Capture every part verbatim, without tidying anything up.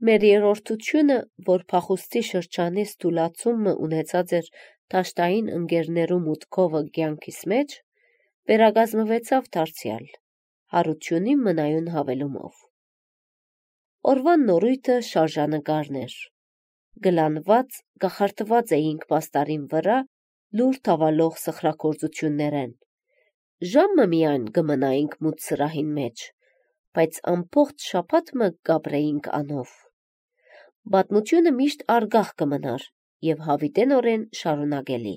Մեր երրորդությունը, որ փախուստի շրջանից թուլացումը ունեցած էր դաշտային ընկերներու մուտքովը կյանքիս մեջ, վերագազմվեցավ դարձյալ, հարությունի մնայուն հավելումով։ Օրվան նորույթը շարժանկարն էր, գլանված, գախարտված էինք պաստարին վրա լուր թավալող սխրագործություններեն, ժամը միայն գմնայինք մութ սրահին մեջ, բայց ամբողջ շաբաթ մը գաբրեինք անով։ Պատմությունը միշտ արգախ կմնար և հավիտենորեն շարունակելի,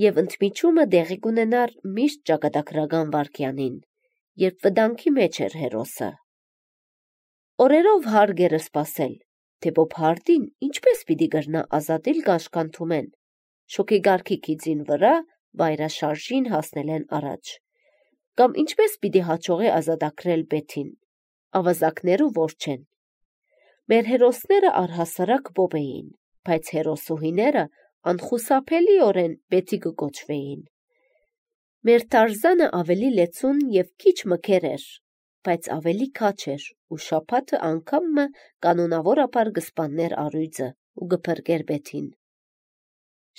և ընդմիջումը դեղի կունենար միշտ ճակատագրական վայրկյանին, երբ վտանգի մեջ էր հերոսը։ Օրերով հարկ էր սպասել, թե Բոբհարդին ինչպես պիտի կրնա ազատել կաշկանդումեն, շոգեգարքի գիծին վրա վայրաշարժին հասնելեն առաջ, կամ ինչպես պիտի հաջողի ազատագրել Բեթին, ավազակներու որջեն։ Մեր հերոսները առհասարակ Բոբ էին, բայց հերոսուհիները անխուսափելիորեն Բեթի կկոչվեին։ Մեր Թարզանը ավելի լեցուն և քիչ մքեր էր, բայց ավելի քաչ էր ու շաբաթը անգամ մը կանոնավորաբար կսպաններ առյուծը ու կփրկեր Բեթին։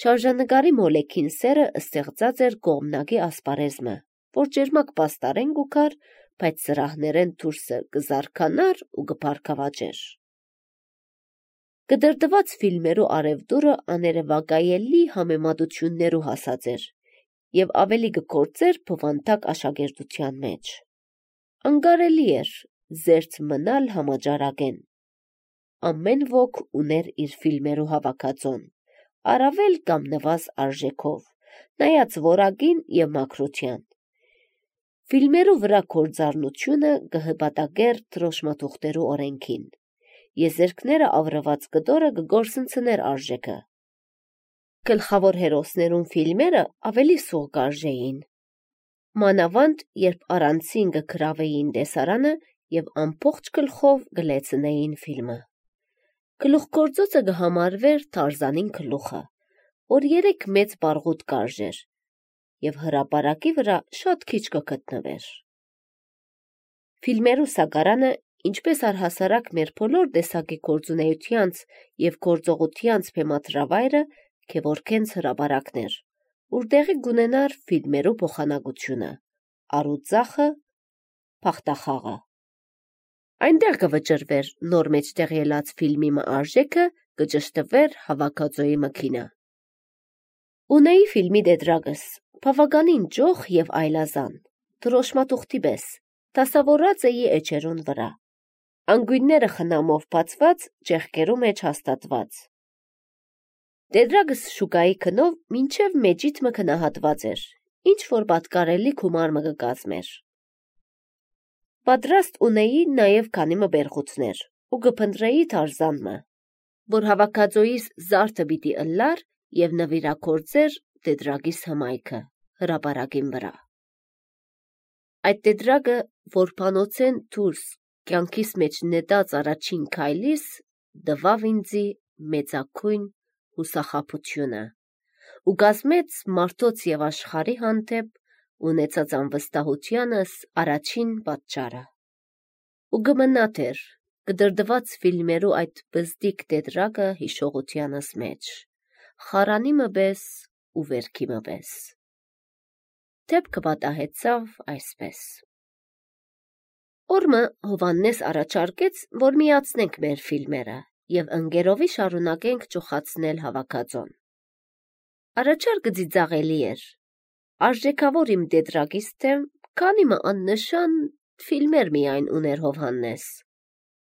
Շարժանկարի մոլեքին սերը ստեղծած էր կողմնակի ասպարեզմը, որ ջերմակ պաստարեն կուքար, բայց սրահներեն դուրսը կզարքանար ու կփառքավաճեր։ Կդրդված ֆիլմերու արևտուրը աներևակայելի համեմատություններու հասած էր և ավելի կգործեր բովանդակ աշակերտության մեջ։ Անկարելի էր զերծ մնալ համաճարակեն։ Ամեն ոք ուներ իր ֆիլմերու հավաքածոն, առավել կամ նվազ արժեքով, նայած որակին և մաքրության։ Ֆիլմերու վրա գործառնությունը կհպատակեր դրոշմաթուղթերու օրենքին, եզերքները ավրված կտորը կգործընցներ արժեքը։ Գլխավոր հերոսներուն ֆիլմերը ավելի սուղ կարժեին, մանավանդ երբ առանցին կգրավեին տեսարանը և ամբողջ գլխով կլեցնեին ֆիլմը։ Գլուխգործոցը կհամարվեր Թարզանին գլուխը, որ երեք մեծ բարգուտ կարժեր և հրապարակի վրա շատ քիչ կգտնվեր։ Ֆիլմերու սակարանը, ինչպես առհասարակ մեր բոլոր տեսակի գործունեությանց և գործողությանց բեմադրավայրը, գևորգենց հրապարակներ, ուր տեղի կունենար ֆիլմերու փոխանակությունը, առուծախը, փախտախաղը։ Այնտեղ կվճռվեր նոր մեջտեղ ելած ֆիլմի մը արժեքը, կճշտվեր հավաքածոյի մքինը։ Ունեի ֆիլմի տետրակս, բավականին ճոխ և այլազան, դրոշմաթուղթի պես, դասավորած էի էջերուն վրա, անգույնները խնամով բացված, ճեղքերու մեջ հաստատված։ Տետրակս շուկայի գնով մինչև մեջիդ մը գնահատված էր, ինչ-որ պատկարելի գումար մը կկազմեր։ Պատրաստ ունեի նաև քանի մը բերղութներ ու կփնտրեի Թարզան մը, որ հավաքածոյիս զարդը պիտի ըլլար և նվիրագործեր տետրակիս հմայքը հրապարակին վրա։ Այդ տետրակը, որ բանոցեն դուրս կյանքիս մեջ նետած առաջին քայլիս, տվավ ինձի մեծագույն հուսախաբությունը ու կազմեց մարդոց և աշխարհի հանդեպ ունեցած անվստահությանս առաջին պատճառը։ Ու կմնա դեռ կդրդված ֆիլմերու այդ բզդիկ տետրակը հիշողությանս մեջ, խարանի մը պես ու վերքի մը պես։ Դեպքը պատահեցավ այսպես. Օրը Հովհաննես առաջարկեց, որ միացնենք մեր ֆիլմերը և ընկերովի շարունակենք ճոխացնել հավաքածոն։ Առաջարկը ծիծաղելի էր, արժեքավոր իմ տետրակից դեմ քանի մը աննշան ֆիլմեր միայն ուներ Հովհաննես,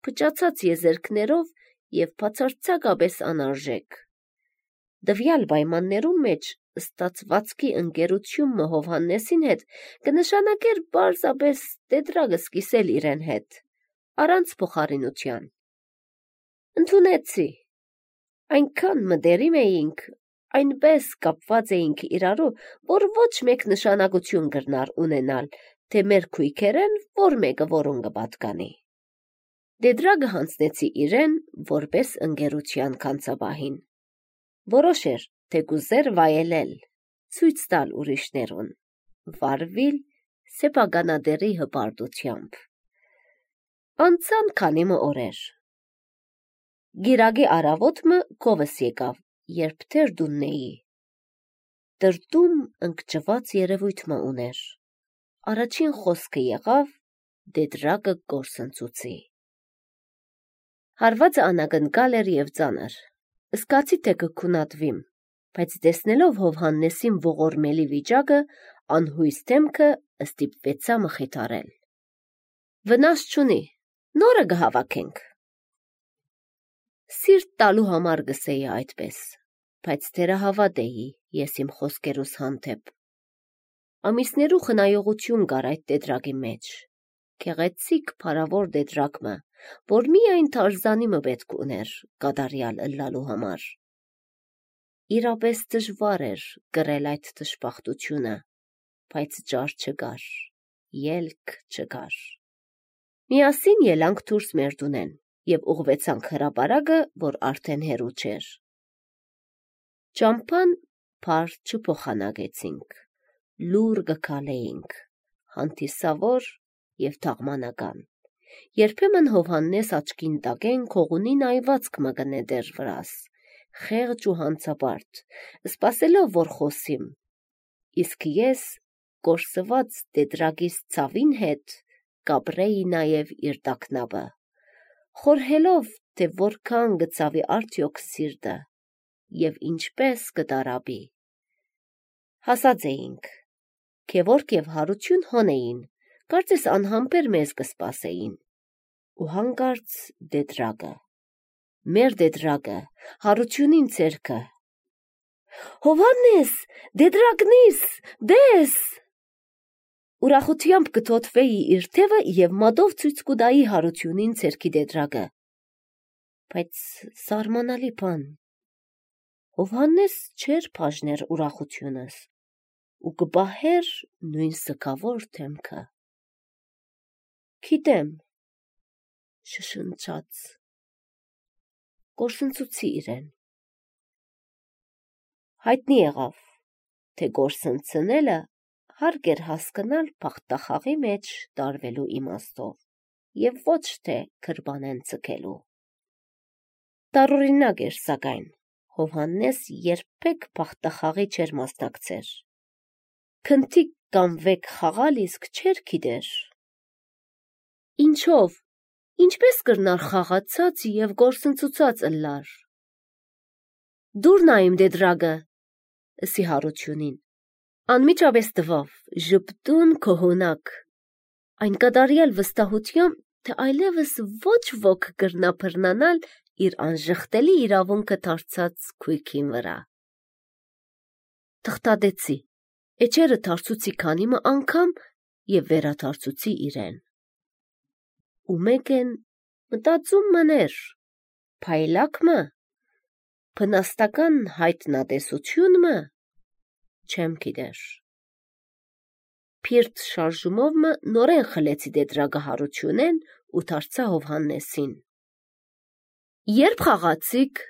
փչացած եզերքներով և բացարձակապես անարժեք։ Տվյալ պայմաններուն մեջ ստացվածքի ընկերությունը Հովհաննեսին հետ կնշանակեր պարզապես տետրակս կիսել իրեն հետ, առանց փոխարինության։ Ընդունեցի։ Այնքան մտերիմ էինք, այնպես կապված էինք իրարու, որ ոչ մեկ նշանակություն կրնար ունենալ, թե մեր քույքերեն որ մեկը որուն կպատկանի։ Տետրակը հանձնեցի իրեն որպես ընկերության քանծապահին։ Որոշեր, թե կուզեր վայելել, ցույց տալ ուրիշներուն, վարվել սեփականատերի հպարտությամբ։ Անցան քանի մը օրեր։ Գիրագի առավոտը կովս եկավ, երբ թեր դուննեի։ Տրտում ընկճված երևույթ մը ուներ։ Առաջին խոսքը եղավ դեդրագը գործընծուցի։ Հարվածը անագնկալ էր և ծանր։ Սկացի թե կքունատվիմ, բայց տեսնելով Հովհաննեսին ողորմելի վիճակը, անհույս դեմքը ստիպվեցա մխիթարել։ Վնաս չունի, նորը կհավաքենք։ Սիրտ տալու համար գսեի այդպես, բայց թերահավատ էի ես իմ խոսքերուս հանդեպ։ Ամիսներու խնայողություն կար այդ դեդրագի մեջ, գեղեցիկ փարավոր դեդրագ մը, որ միայն Թարզանի մը պետք ուներ կատարյալ ըլլալու համար։ Իրապես դժվար էր կրել այդ դժբախտությունը, բայց ճար չկար, ելք չկար։ Միասին ելանք դուրս մեր տունեն և ուղղվեցանք հրապարակը, որ արդեն հեռու չէր։ Ճամփան փար չփոխանակեցինք, լուռ գքալեինք, հանդիսավոր և թաղմանական։ Երբեմն Հովհաննես աչքին տակեն քողունի նայվածք մը կնետեր վրաս, խեղճ ու հանցապարտ, սպասելով, որ խոսիմ, իսկ ես կորսված դեդրագիս ցավին հետ կապրեի նաև իր տակնապը, խորհելով, թե որքան գծավի արդյոք սիրտը և ինչպես կտարապի։ Հասած էինք, քևորք և հարություն հոն էին, կարծես անհամբեր մեզ կսպասեին, ու հանկարծ դեդրագը, մեր դեդրագը, հարությունին ցերքը. Հովհաննես, դեդրագնիս, դես։ Ուրախությամբ կթոթվեի իր թևը և մատով ցույց կուտայի հարությունին ցերքի դեդրագը, բայց սարմանալի բան, Հովհաննես չէր բաժներ ուրախությունս ու կպահեր նույն սգավոր դեմքը։ Գիտեմ, շշնջաց, գործընծուցի իրեն։ Հայտնի եղավ, թե գործընծնելը հարկ էր հասկանալ բախտախաղի մեջ տարվելու իմաստով և ոչ թե գրբանեն ցկելու։ Տարօրինակ էր, սակայն, Հովհաննես երբեք բախտախաղի չէր մասնակցեր։ Քնթիկ կամ վեք խաղալ իսկ չէր գիտեր։ Ինչով, ինչպես կրնար խաղացած և գործընծուցած ըլլար։ Դուր նայիմ դեդրագը, ըսի հարությունին, անմիջապես տվավ, ժպտուն քոհունակ, այն կատարյալ վստահությամբ, թե այլևս ոչ ոք կրնա բռնանալ իր անժխտելի իրավունքը դարձած քույքին վրա։ Թղթադեցի, էջերը դարձուցի քանի մը անգամ և վերադարձուցի իրեն։ Ու մեկ են մտածում մներ, փայլակ մը, բնաստական հայտնատեսություն մը, չեմ գիտեր։ Փիրտ շարժումով մը նորեն խլեցի դեդրագը հարությունեն ու դարձա Հովհաննեսին։ Երբ խաղացիք։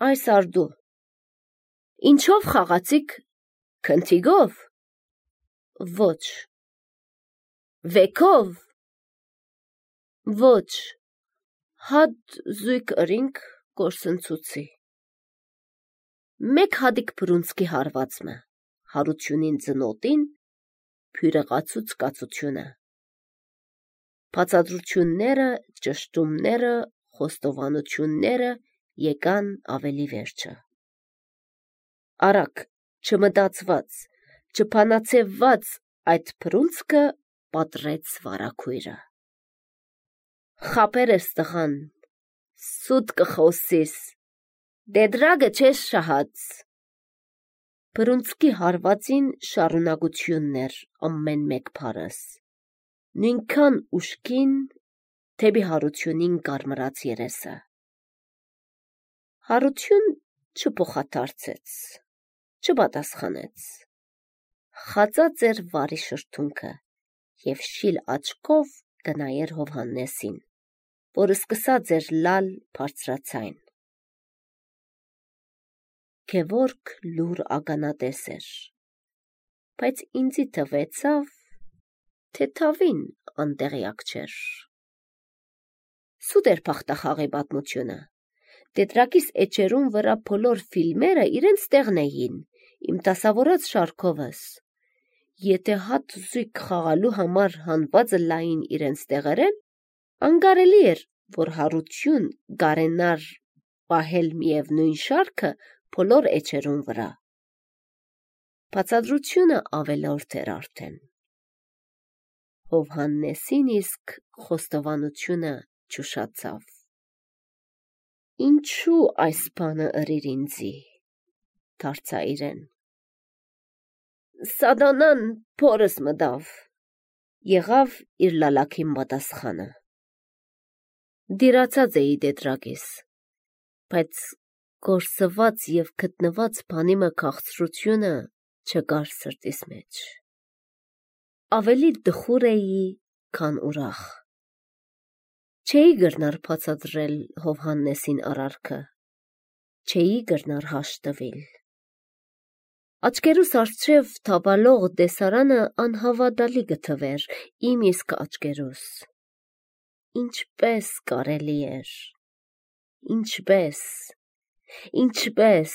Այս արդու։ Ինչով խաղացիք, քնթիգով։ Ոչ։ Վեքով։ Ոչ, հատ զույգ ըրինք գործընծուցի։ Մեկ հատիկ բռունցքի հարվածմը, հարությունին ծնոտին, փյուրեղացուց կացությունը։ Բացատրությունները, ճշտումները, խոստովանությունները եկան ավելի վերջը։ Արագ, չմտածված, չփանացեված այդ բռունցքը պատռեց վարագույրը։ Խաբեր ես տղան, սուտ կխոսիս, դեդրագը չես շահած։ Բռունցքի հարվածին շարունակությունն էր ամեն մեկ բառս, նույնքան ուժգին, թեպի հարությունին կարմրած երեսը։ Հարություն չփոխադարձեց, չպատասխանեց, խածած էր վարի շրթունքը և շիլ աչքով կնայեր Հովհաննեսին, որ սկսած էր լալ բարձրացայն։ Գևորգ լուռ ականատես էր, բայց ինձի թվեցավ, թե թավին անտեղյակ չէր։ սուտ էր փախտախաղի պատմությունը։ Տետրակիս էջերուն վրա բոլոր ֆիլմերը իրենց տեղն էին, իմ դասավորած շարքովս։ Եթե հատ զույգ խաղալու համար հանվածը լային իրենց տեղերեն, անկարելի էր, որ հարություն գարենար պահել միևնույն շարքը բոլոր էջերուն վրա։ Բացատրությունը ավելորդ էր արդեն։ Հովհաննեսին իսկ խոստովանությունը ճուշացավ։ Ինչու այս բանը ըրիր ինձի, դարձա իրեն։ Սատանան փորս մտավ, եղավ իր լալաքին պատասխանը։ Դիրացած էի Տետրակիս, բայց կորսված և գտնված բանիմը քաղցրությունը չկար սրտիս մեջ։ Ավելի դխուր էի, քան ուրախ։ Չէի գրնար բացատրել Հովհաննեսին արարքը, չէի գրնար հաշտվել։ Աչքերուս առջև թավալող տեսարանը անհավատալի գթվեր իմ իսկ աչքերուս։ Ինչպես կարելի էր, ինչպես, ինչպես։